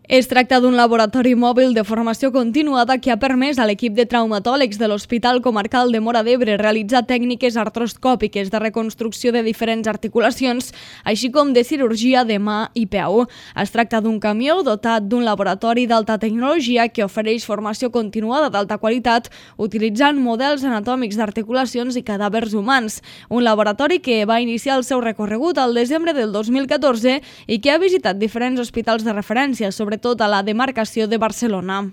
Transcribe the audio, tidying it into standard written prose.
Es tracta d'un laboratori mòbil de formació continuada que ha permès a l'equip de traumatòlegs de l'Hospital Comarcal de Móra d'Ebre realitzar tècniques artroscòpiques de reconstrucció de diferents articulacions, així com de cirurgia de mà i peu. Es tracta d'un camió dotat d'un laboratori d'alta tecnologia que ofereix formació continuada d'alta qualitat utilitzant models anatòmics d'articulacions i cadàvers humans. Un laboratori que va iniciar el seu recorregut al desembre del 2014 i que ha visitat diferents hospitals de referència, sobretot a la demarcació de Barcelona.